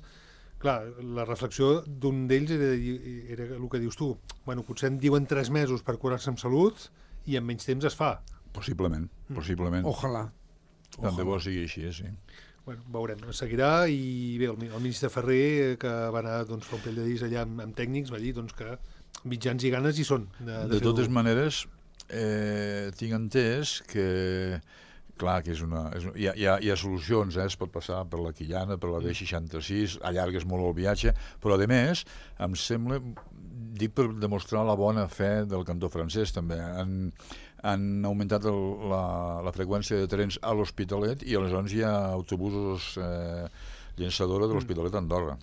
Clar, la reflexió d'un d'ells era el que dius tu. Bueno, potser en diuen 3 mesos per curar-se amb salut i en menys temps es fa. Possiblement. Ojalà. Tant de bo sigui així, sí. Bueno, veurem. Seguirà i bé, el ministre Ferrer, que va anar doncs, fa un parell de dies allà amb tècnics, va dir doncs, que mitjans i ganes hi són. De totes maneres, tinc entès que clar, que hi ha solucions, es pot passar per la Quillana, per la D66, allargues molt el viatge, però a més, em sembla, dic per demostrar la bona fe del cantó francès també, han augmentat la freqüència de trens a l'Hospitalet i aleshores hi ha autobusos llançadora de l'Hospitalet a Andorra.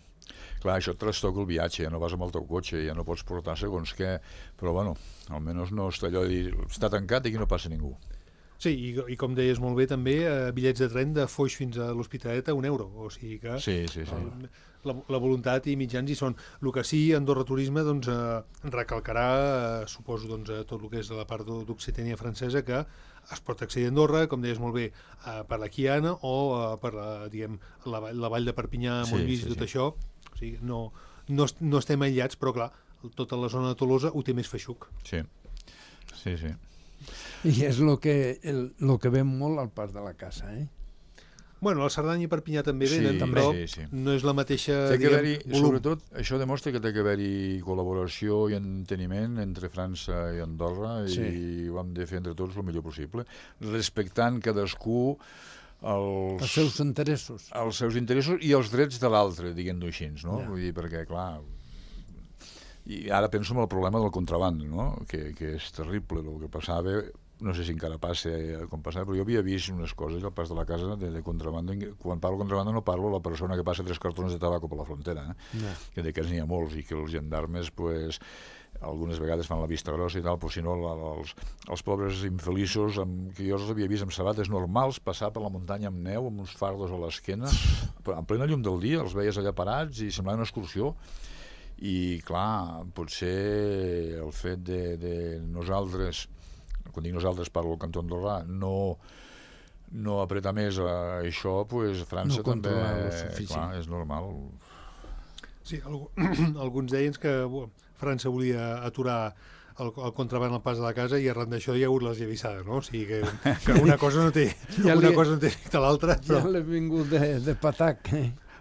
Clar, això et trastoca el viatge, ja no vas amb el teu cotxe, ja no pots portar segons què, però bueno, almenys no està allò de dir, està tancat i aquí no passa ningú. Sí, i com deies molt bé també, bitllets de tren de Foix fins a l'Hospitalet a €1, o sigui que sí. La voluntat i mitjans hi són. El que sí, Andorra Turisme doncs, recalcarà, suposo, doncs, tot el que és de la part d'Occitània francesa, que es pot accedir a Andorra, com deies molt bé, per la Quiana o per la vall de Perpinyà, Montmís i tot això. O sigui, no estem aïllats, però clar, tota la zona de Tolosa ho té més feixuc. Sí. I és el que ve molt al pas de la casa, Bueno, la Cerdanya i Perpinyà també venen, però no és la mateixa, volum. Sobretot, això demostra que té que haver-hi col·laboració i enteniment entre França i Andorra i ho hem de fer entre tots el millor possible, respectant cadascú els seus interessos i els drets de l'altre, diguem-ho així, no? Vull dir, perquè, clar, i ara penso en el problema del contraband, no? Que és terrible el que passava, no sé si encara passa com passava, però jo havia vist unes coses al pas de la casa de contraband. Quan parlo de contraband no parlo de la persona que passa 3 cartons de tabaco per la frontera, que d'aquests n'hi ha molts i que els gendarmes pues, algunes vegades fan la vista grossa i tal, però si no els pobres infeliços que jo els havia vist amb sabates normals passar per la muntanya amb neu, amb uns fardos a l'esquena, en plena llum del dia, els veies allà parats i semblava una excursió. I clar, potser el fet de nosaltres, quan dic nosaltres parlo del cantó andorrà, no apretar més a això, pues França també, clar, és normal. Sí, alguns deien que França volia aturar el contraband al pas de la casa i arran d'això hi ha hagut les llavissades, no? O sigui que una cosa no té efecte a l'altra. Ja l'he vingut de patac,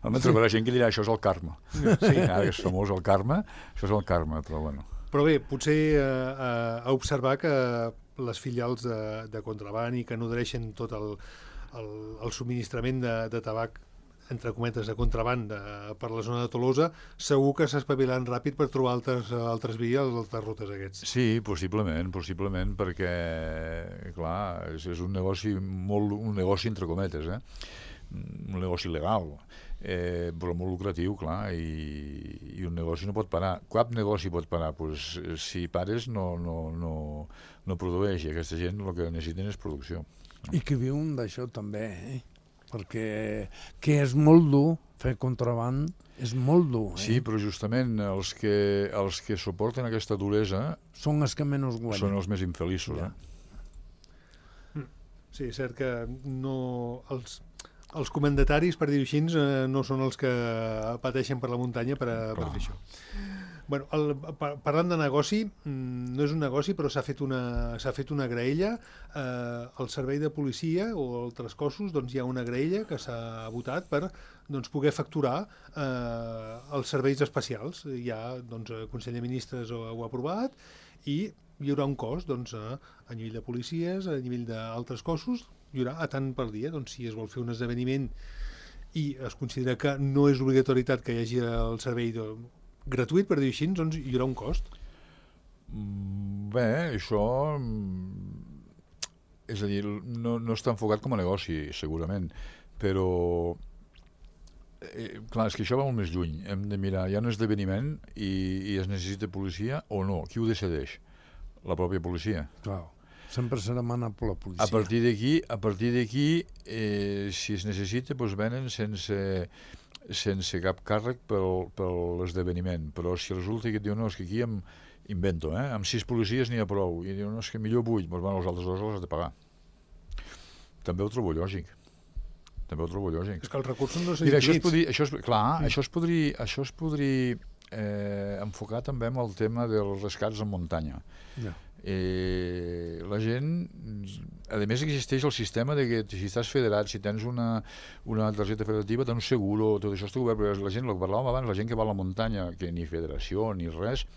Home, trobarà gent que dirà això és el karma. Sí, ara és famós el karma, això és el karma, però bueno. Però bé, potser a observar que les filials de contraband i que nodreixen tot el subministrament de tabac, entre cometes, de contraband per la zona de Tolosa, segur que s'espavilaran ràpid per trobar altres vies, altres rutes aquests. Sí, possiblement, perquè, clar, és un negoci entre cometes, un negoci legal, però molt lucratiu, clar, i un negoci no pot parar. Cap negoci pot parar, doncs, si pares no produeix, i aquesta gent el que necessiten és producció. I que viuen d'això també, perquè que és molt dur fer contraband, és molt dur. Sí, però justament els que suporten aquesta duresa són els que menys guanyen. Són els més infeliços. Sí, és cert que els comandataris, per dir-ho així, no són els que pateixen per la muntanya per fer això. Bueno, parlant de negoci, no és un negoci, però s'ha fet una graella. Al servei de policia o altres cossos hi ha una graella que s'ha votat per poder facturar els serveis especials. Ja el Consell de Ministres ho ha aprovat i hi haurà un cost a nivell de policies, a nivell d'altres cossos, hi haurà a tant per dia. Si es vol fer un esdeveniment i es considera que no és obligatorietat que hi hagi el servei gratuït, per dir així, doncs hi haurà un cost. Bé, això... És a dir, no està enfocat com a negoci, segurament, però... clar, és que això va molt més lluny. Hem de mirar, hi ha un esdeveniment i es necessita policia o no. Qui ho decideix? La pròpia policia. Clar, sempre se demana per la policia. A partir d'aquí, si es necessita, doncs venen sense cap càrrec per l'esdeveniment. Però si resulta que et diu, no, és que aquí invento, amb 6 policies n'hi ha prou, i diu, no, és que millor 8, doncs bueno, els altres 2 els has de pagar. També ho trobo lògic. És que els recursos no són infinits. Això es podria enfocar també amb el tema dels rescats en muntanya. La gent, a més existeix el sistema de que si estàs federat, si tens una targeta federativa, tens un seguro, tot això està obert, però la gent, el que parlàvem abans, la gent que va a la muntanya, que ni federació ni res,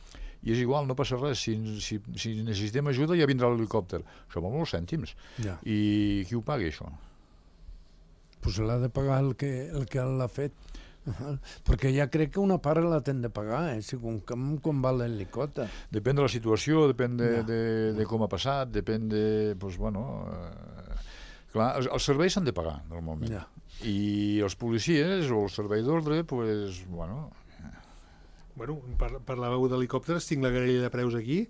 i és igual, no passa res, si necessitem ajuda ja vindrà l'helicòpter. Això val molts cèntims. I qui ho paga, això? Pues l'ha de pagar el que l'ha fet. Perquè ja crec que una part la ten de pagar, segons com va l'helicòpter. Depèn de la situació, depèn de com ha passat, depèn de... Clar, els serveis s'han de pagar, normalment. I els policies o el servei d'ordre, doncs, bueno... Parlàveu d'helicòpters, tinc la grella de preus aquí.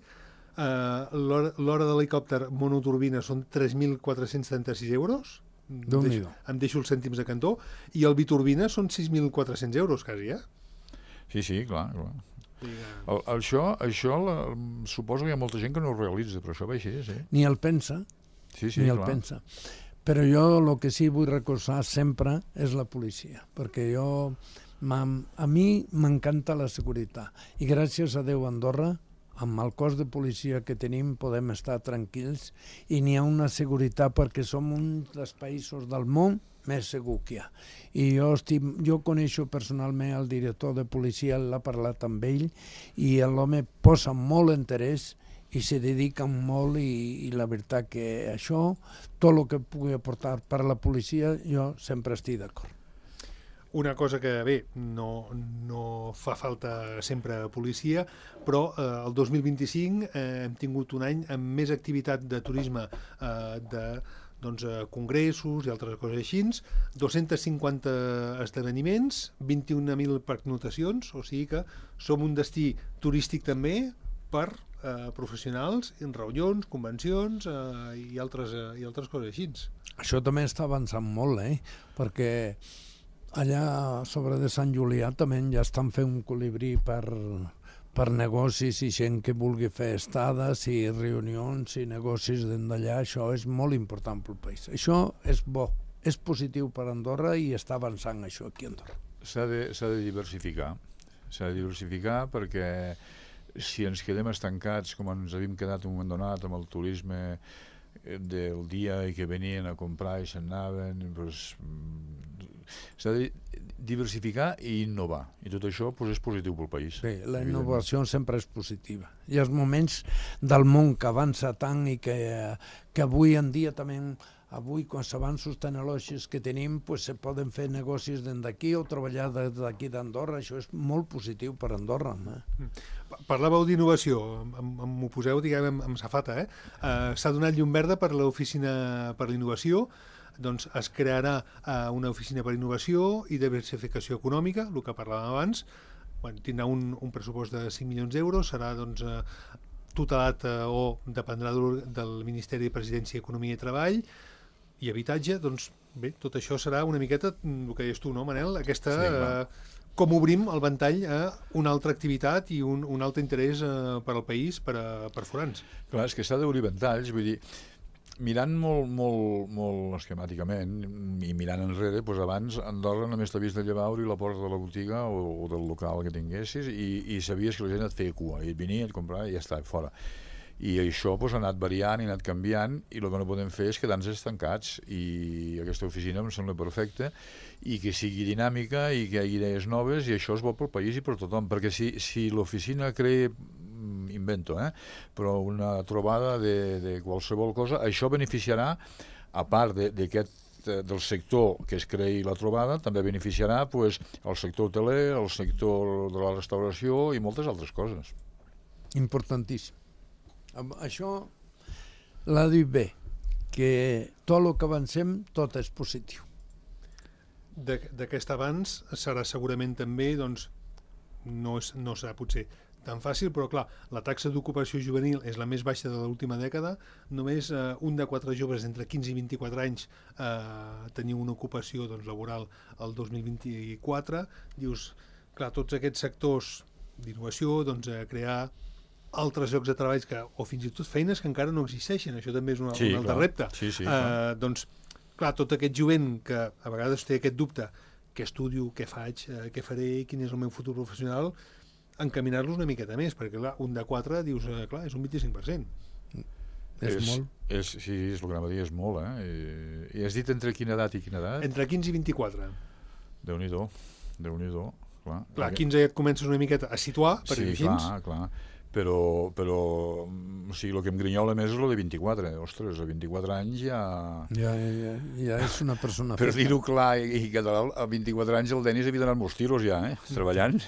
L'hora d'helicòpter monoturbina són 3.436 euros. Em deixo els cèntims de cantó, i el biturbina són 6.400 euros quasi, Sí, clar. Això suposo que hi ha molta gent que no ho realitza, però això va així, sí. Ni el pensa. Ni el pensa. Però jo el que sí vull recolzar sempre és la policia, perquè a mi m'encanta la seguretat, i gràcies a Déu a Andorra, amb el cos de policia que tenim podem estar tranquils i n'hi ha una seguretat perquè som un dels països del món més segur que hi ha. I jo coneixo personalment el director de policia, l'ha parlat amb ell, i l'home posa molt interès i se dedica molt, i la veritat que això, tot el que pugui aportar per a la policia, jo sempre estic d'acord. Una cosa que, bé, no fa falta sempre policia, però el 2025 hem tingut un any amb més activitat de turisme, de congressos i altres coses així, 250 esdeveniments, 21.000 pernoctacions, o sigui que som un destí turístic també per professionals, en reunions, convencions i altres coses així. Això també està avançant molt, perquè allà sobre de Sant Julià també ja estan fent un colibrí per negocis i gent que vulgui fer estades i reunions i negocis d'allà. Això és molt important pel país. Això és bo, és positiu per Andorra i està avançant això aquí a Andorra. S'ha de diversificar. S'ha de diversificar perquè si ens quedem estancats com ens havíem quedat un moment donat amb el turisme del dia i que venien a comprar i se'n anaven, doncs s'ha de diversificar i innovar, i tot això és positiu pel país. Sí, la innovació sempre és positiva. Hi ha moments del món que avança tant i que avui en dia també, quan s'avanços tecnològics que tenim, se poden fer negocis d'aquí o treballar d'aquí d'Andorra. Això és molt positiu per Andorra. Parlàveu d'innovació, m'ho poseu, diguem, amb safata, s'ha donat llum verda per l'Oficina per l'innovació. Doncs es crearà una oficina per innovació i diversificació econòmica, el que parlàvem abans. Tindrà un pressupost de 5 milions d'euros, serà tutelat o dependrà del Ministeri de Presidència, Economia i Treball i Habitatge. Doncs bé, tot això serà una miqueta el que deies tu, no, Manel? Com obrim el ventall a una altra activitat i un altre interès per al país, per forans. Clar, és que s'ha d'obrir ventalls, vull dir, mirant molt esquemàticament i mirant enrere, doncs abans Andorra només t'havies de llevar, obrir la porta de la botiga o del local que tinguessis i sabies que la gent et feia cua, i et venia, et comprava i ja està, fora. I això ha anat variant i ha anat canviant, i el que no podem fer és quedar-nos estancats, i aquesta oficina em sembla perfecta, i que sigui dinàmica i que hi hagi idees noves, i això és bo pel país i per tothom, perquè si l'oficina crea invento, però una trobada de qualsevol cosa, això beneficiarà, a part d'aquest del sector que es creï la trobada també beneficiarà pues, el sector hoteler, el sector de la restauració i moltes altres coses. Importantíssim. Això l'ha dit bé, que tot el que avancem, tot és positiu. D'aquest avanç serà segurament també, doncs, no serà potser tan fàcil, però clar, la taxa d'ocupació juvenil és la més baixa de l'última dècada, només un de 4 joves entre 15 i 24 anys teniu una ocupació doncs, laboral el 2024. Dius, clar, tots aquests sectors d'innovació, doncs, crear altres llocs de treball o fins i tot feines que encara no existeixen, això també és un altre repte. Doncs, clar, tot aquest jovent que a vegades té aquest dubte, què estudio, què faig, què faré, quin és el meu futur professional, encaminar-los una miqueta més, perquè clar, un de 4 dius, clar, és un 25%. És molt. Sí, és el que anava a dir, és molt, I has dit entre quina edat i quina edat? Entre 15 i 24. Déu-n'hi-do, clar. Clar, 15 ja et comences una miqueta a situar, per dir així. Sí, clar. Però o sigui, el que em grinyola més és el de 24. Ostres, a 24 anys ja... Ja és una persona per dir-ho clar i català, a 24 anys el Denis havia donat molts tiros ja, treballant.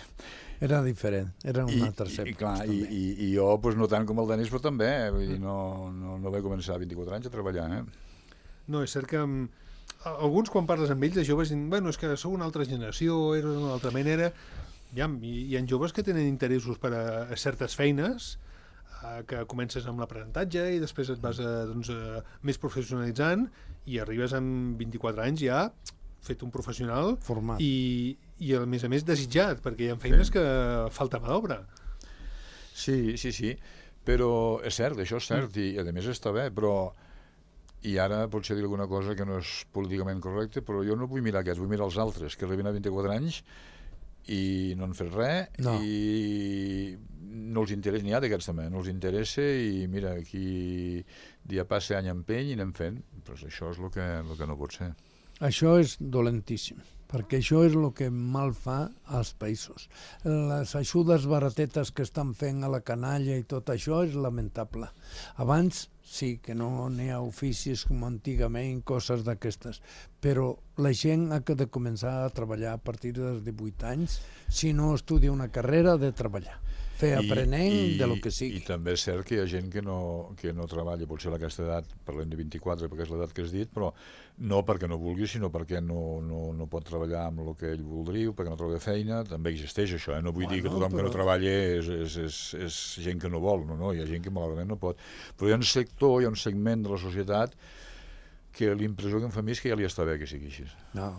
Era diferent, era un altre època. I jo, pues, no tant com el Denis, però també, vull dir, no vaig començar a 24 anys a treballar, No, és cert que alguns, quan parles amb ells, de joves, diuen, bueno, és que sou una altra generació, era una altra manera. Hi ha joves que tenen interessos per a certes feines, que comences amb l'aprenentatge i després et vas més professionalitzant i arribes amb 24 anys ja fet un professional format i a més desitjat, perquè hi ha feines que falta mà d'obra. Sí, però és cert, això és cert, i a més està bé, però i ara potser dir alguna cosa que no és políticament correcte, però jo no vull mirar aquests, vull mirar els altres, que arriben a 24 anys i no han fet res, i no els interessa, n'hi ha d'aquests també, no els interessa, i mira, aquí dia passa any empeny i anem fent, però això és el que no pot ser. Això és dolentíssim, perquè això és el que mal fa als països. Les ajudes baratetes que estan fent a la canalla i tot això és lamentable. Abans sí que no n'hi ha oficis com antigament, coses d'aquestes, però la gent ha de començar a treballar a partir dels 18 anys. Si no estudia una carrera, ha de treballar. Fer aprenent de lo que sigui. I també és cert que hi ha gent que no treballa, potser a aquesta edat, parlem de 24, perquè és l'edat que has dit, però no perquè no vulgui, sinó perquè no pot treballar amb el que ell voldria, perquè no troba feina. També existeix això, No vull dir que tothom que no treballa és gent que no vol, no, hi ha gent que malauradament no pot. Però hi ha un sector, hi ha un segment de la societat que l'impressió que em fa a mi és que ja li està bé que sigui així. No.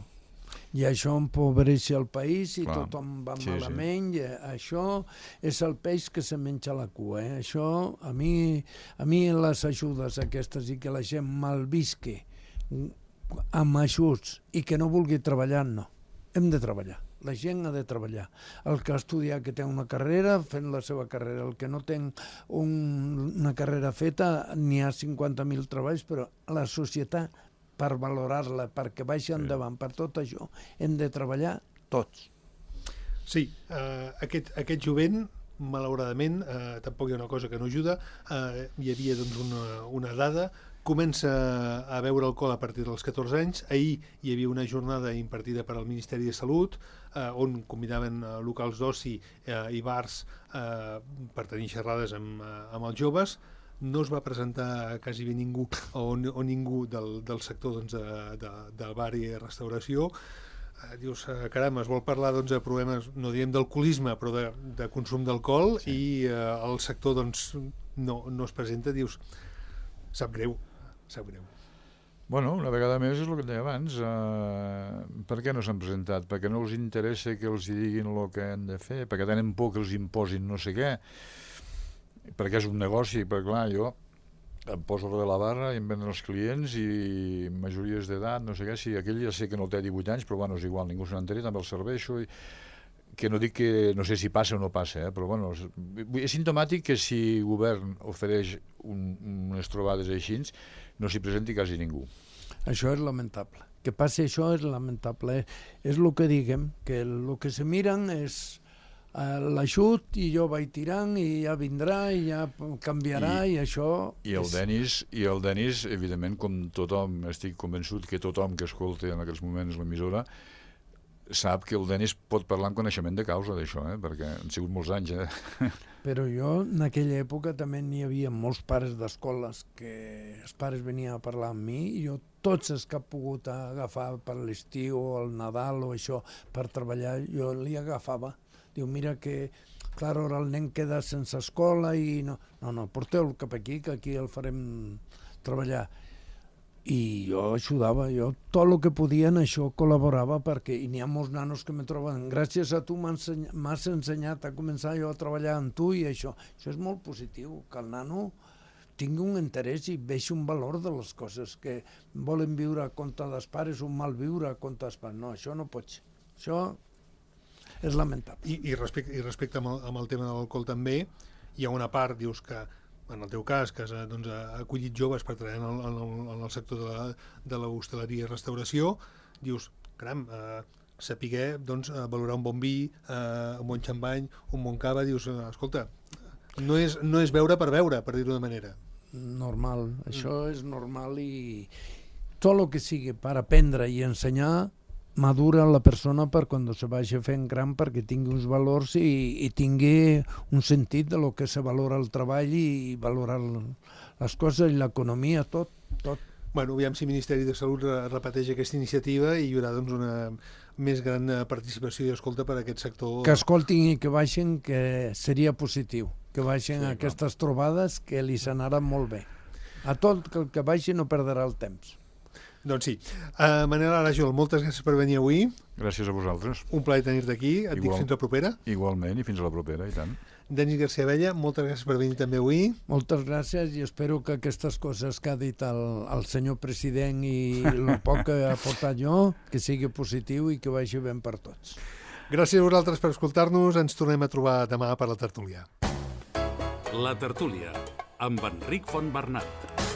I això empobreix el país i tothom va malament. I això és el peix que se menja la cua. Això, a mi les ajudes aquestes i que la gent malvisqui amb ajuts i que no vulgui treballar, no. Hem de treballar. La gent ha de treballar. El que ha estudiat, que té una carrera, fent la seva carrera. El que no té una carrera feta, n'hi ha 50.000 treballs, però la societat, per valorar-la, perquè vagi endavant, per tot això, hem de treballar tots. Sí, aquest jovent, malauradament, tampoc hi ha una cosa que no ajuda. Hi havia una dada, comença a beure alcohol a partir dels 14 anys. Ahir hi havia una jornada impartida per al Ministeri de Salut, on convidaven locals d'oci i bars per tenir xerrades amb els joves. No es va presentar quasi bé ningú o ningú del sector del bar i restauració. Dius, caram, es vol parlar de problemes, no diem d'alcoholisme, però de consum d'alcohol, i el sector no es presenta. Dius, sap greu. Bueno, una vegada més és el que et deia abans. Per què no s'han presentat? Perquè no els interessa que els diguin el que han de fer, perquè tenen por que els imposin no sé què, perquè és un negoci, perquè clar, jo em poso darrere la barra i em venen els clients i majories d'edat, no sé què, si aquell ja sé que no té 18 anys, però bueno, és igual, ningú se n'entén, també el serveixo, que no dic que no sé si passa o no passa, però bueno, és simptomàtic que si el govern ofereix unes trobades així, no s'hi presenti quasi ningú. Això és lamentable. Que passi això és lamentable. És el que diguem, que el que se miren és l'ajut i jo vaig tirant i ja vindrà i ja canviarà i això... I el Denis, evidentment, com tothom, estic convençut que tothom que escolta en aquests moments l'emissora sap que el Denis pot parlar amb coneixement de causa d'això, perquè han sigut molts anys. Però jo, en aquella època, també n'hi havia molts pares d'escoles que els pares venien a parlar amb mi i jo tots els que he pogut agafar per l'estiu o el Nadal o això per treballar, jo li agafava. Diu, mira que, clar, ara el nen queda sense escola i no, porteu-lo cap aquí, que aquí el farem treballar. I jo ajudava, jo tot el que podia en això col·laborava perquè hi ha molts nanos que me troben, gràcies a tu m'has ensenyat a començar jo a treballar amb tu i això és molt positiu, que el nano tingui un interès i vegi un valor de les coses, que volen viure a compte dels pares, un mal viure a compte dels pares, no, això no pot ser, això és lamentable. I respecte amb el tema de l'alcohol també, hi ha una part, dius que en el teu cas, que has acollit joves per treballar en el sector de l'hostaleria i restauració, dius, caram, saber valorar un bon vi, un bon xampany, un bon cava, dius, escolta, no és beure, per dir-ho de manera. Normal, això és normal i tot el que sigui per aprendre i ensenyar madura la persona per quan se vagi fent gran perquè tingui uns valors i tingui un sentit de lo que se valora el treball i valorar les coses i l'economia, tot. Bueno, aviam si el Ministeri de Salut repeteix aquesta iniciativa i hi haurà una més gran participació i escolta per a aquest sector. Que escoltin i que baixin, que seria positiu, que baixin aquestes trobades que li s'anaran molt bé. A tot el que baixi no perdrà el temps. Doncs sí. Manel Arajol, moltes gràcies per venir avui. Gràcies a vosaltres. Un plaer tenir-te aquí. Et dic fins la propera. Igualment, i fins a la propera, i tant. Denis García Abella, moltes gràcies per venir també avui. Moltes gràcies i espero que aquestes coses que ha dit el senyor president i el poc que ha portat jo, que sigui positiu i que vagi ben per tots. Gràcies a vosaltres per escoltar-nos. Ens tornem a trobar demà per la tertúlia. La tertúlia, amb Enric Fontbernat.